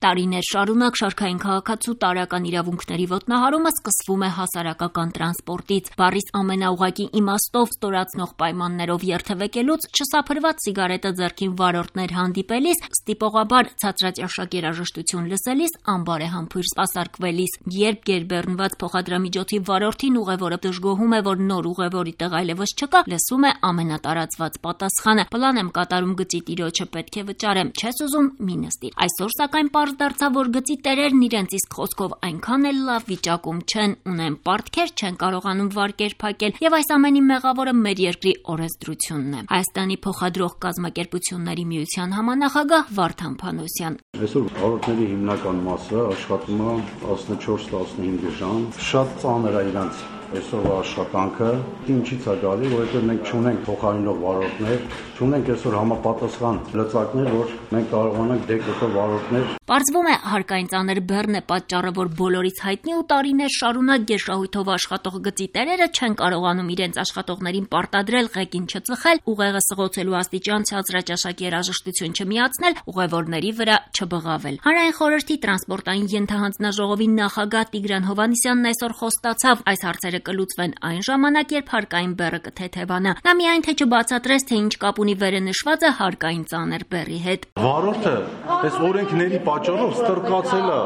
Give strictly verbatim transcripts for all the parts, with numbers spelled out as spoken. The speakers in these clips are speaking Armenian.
Տարիներ շարունակ շարքային քաղաքացու տարրական իրավունքների ոտնահարումը սկսվում է հասարակական տրանսպորտից։ Բառիս ամենաուղղակի իմաստով ստորացնող պայմաններով երթևեկելուց չսափրված սիգարետը ձեռքին վարորդներ հանդիպելիս, ստիպողաբար ցածրաճաշակ երաժշտություն լսելիս, անբարեհամբույր սպասարկվելիս։ Երբ գերբեռնված փոխադրամիջոցի վարորդին ուղևորը դժգոհում է, որ նոր ուղևորի տեղ այլևս չկա, լսում է ամենատարածված պատասխանը. «Պլան եմ կատարում, գծի տիրոջը պետք է վճարեմ, չես ուզում մի նստիր»։ Այսօր սակայն պարզ դարձավ, որ գծի տերերն իրենց իսկ խոսքով այնքան էլ լավ վիճակում չեն, ունեն պարտքեր, չեն կարողանում վարկեր փակել, եւ այս ամենի մեղավորը մեր երկրի օրենսդրությունն է։ Հայաստանի փոխադրող կազմակերպությունների միության համանախագահ Վարդան Փանոսյան. Այսօր վարորդների հիմնական մասը աշխատում է տասնչորս տասնհինգ ժամ, շատ ծանր է իրանց այսօրվա աշխատանքը, ինչից է գալի, որովհետև մենք չունենք փոխարինող վարորդներ, չունենք այսօր համապատասխան լծակներ, որ մենք կարողանանք դեկտատոր վարորդներ։ Պարզվում է, հարկային ծանր բեռն է պատճառը, որ բոլորից հայտնի ու տարիներ շարունակ գերշահույթով աշխատող գծի տերերը չեն կարողանում իրենց աշխատողներին պարտադրել ղեկին չծխել, ուղեղը սղոցելու աստիճան ցածրաճաշակ երաժշտություն չմիացնել, ուղևորների վրա չբղավել։ Հանրային խորհրդի տրանսպորտային ենթահանձնաժողովի նախագահ Տիգրան Հովհաննիսյանն այսօր խոստացավ, այս հարցերը կլուծվեն այն ժամանակ, երբ հարկային բեռը կթեթևանա։ Նա միայն թե չբացատրեց, թե ինչ կապ ունի վերը նշվածը հարկային ծանր բեռի հետ։ Վարորդը այս օրենքների պատճառով ստրկացել է,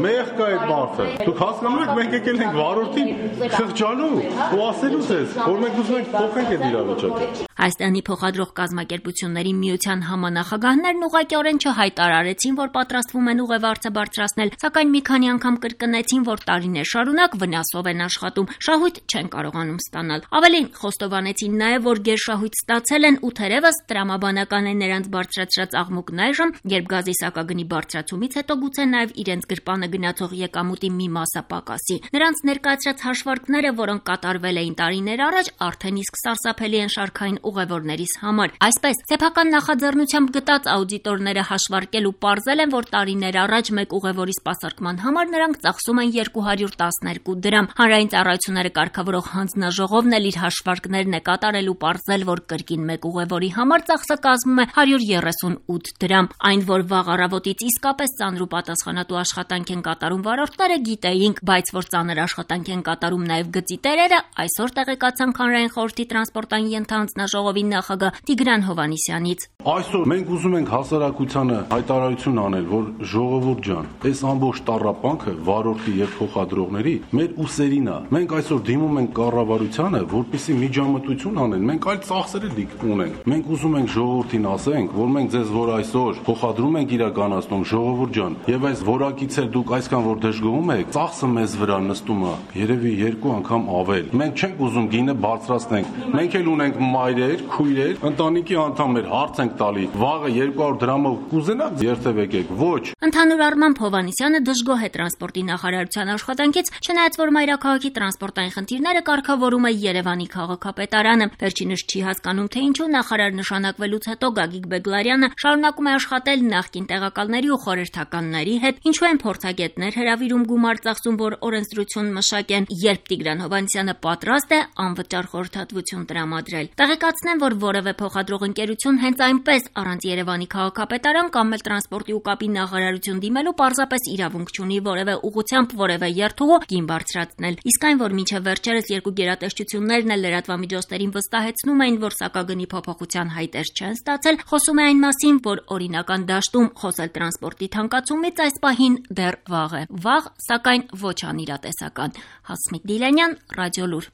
մեղք է այդ մարդը։ Դուք հասկանում եք, մենք եկել ենք վարորդին խղճալու ու ասելու ձեզ, որ մենք ուզում ենք փոխենք այդ իրավիճակը։ Հայաստանի փոխադրող կազմակերպությունների միության համանախագահներն ուղղակիորեն չհայտարարեցին, որ պատրաստվում են ուղևարձը բարձրացնել, սակայն մի քանի անգամ կրկնեցին, որ տարիներ շարունակ վնասով են աշխատում, շահույթ չեն կարողանում ստանալ։ Ավելին, խոստովանեցին նաև, որ գերշահույթ ստացել են ու թերևս տրամաբանական է նրանց բարձրացրած աղմուկն այժմ, երբ գազի սակագնի բարձրացումից հետո գուցե նաև իրենց գրպանը գնացող եկամուտի մի մասը պակասի։ Նրանց ներկայացրած հաշվարկները, որոնք կատարվել էին տարիներ առաջ, արդեն իսկ սարսափելի են շարքային ուղևորներիս համար։ Այսպես, սեփական նախաձեռնությամբ գտած աուդիտորները հաշվարկել ու պարզել են, որ տարիներ առաջ մեկ ուղևորի սպասարկման համար նրանք ծախսում են երկու հարյուր տասներկու դրամ։ Հանրային ծառայությունները կարգավորող հանձնաժողովն էլ իր հաշվարկներն է կատարել ու պարզել, որ կրկին մեկ ուղևորի համար ծախսը կազմում է հարյուր երեսունութ դրամ։ Այն, որ վաղ առավոտից իսկապես ծանր ու պատասխանատու աշխատանք են կատարում վարորդները, գիտեինք, բայց որ ծանր աշխատանք են կատարում նաև գծի տերերը, այսօր տեղեկացանք Հանրային խորհրդի տրանսպորտային ենթահանձնաժողովի նախագահ Տիգրան Հովհաննիսյանից։ Այսօր մենք ուզում ենք հասարակությանը հայտարարություն անել, որ ժողովուրդ ջան, այս ամբողջ տառապանքը վարորդի եւ փոխադրողների մեր ուսերին է։ Մենք այսօր դիմում ենք կառավարությանը, որպեսզի միջամտություն անեն։ Մենք այլ ծախսեր էլ ունենք։ Մենք ուզում ենք ժողովրդին ասենք, որ մենք ձեզ որ այսօր փոխադրում ենք իրականացնում, ժողովուրդ ջան, եւ այս որակից էլ դուք այսքան որ դժգոհում եք, ծախսը մեզ վրա նստում է, երևի երկու անգամ ավել։ Մենք չենք ուզում գինը բարձրացնենք։ Մենք էլ ունենք մայրեր, քույրեր, ընտանիքի անդամներ, հարց ենք տալի։ Վաղը երկու հարյուր դրամով կուզենաք երթևեկեք, ոչ։ Ընդհանուր առմամբ Հովհաննիսյանը դժգոհ է տրանսպորտի նախարարության աշխատանքից, չնայած որ մայրաքաղաքի տրանսպորտային խնդիրները կարգավորում է Երևանի քաղաքապետարանը։ Վերջինս չի հասկանում, թե ինչու նախարար նշանակվելուց հետո Գագիկ Բեգլարյանը շարունակում է աշխատել նախկին տեղակալների ու խորհրդականների հետ, ինչու են փորձագետներ հրավիրում գումար ծախսում, որ օրենսդրություն մշակեն, երբ Տիգրան Հովհաննիսյանը պատրաստ է անվճար խորհրդատվություն տրամադրել։ Տեղեկացնեմ, որ որևէ փոխադրող ընկերություն հենց այնպես առանց Երևանի քաղաքապետարան կամ էլ տրանսպորտի ու կապի նախարարություն դիմելու պարզապես իրավունք չունի որևէ ուղղությամբ որևէ երթուղու գին բարձրացնել։ Իսկ այն, որ մինչև վերջերս երկու գերատեսչություններն էլ լրատվամիջոցներին վստահեցնում էին, որ սակագնի փոփոխության հայտեր չեն ստացել, խոսում է այն մասին, որ օրինական դաշտում խոսել տրանսպորտի թանկացումից այս պահին դեռ վաղ է։ Վաղ, սակայն ոչ անիրատեսական։ Հասմիկ Դիլանյան, Ռադիոլուր։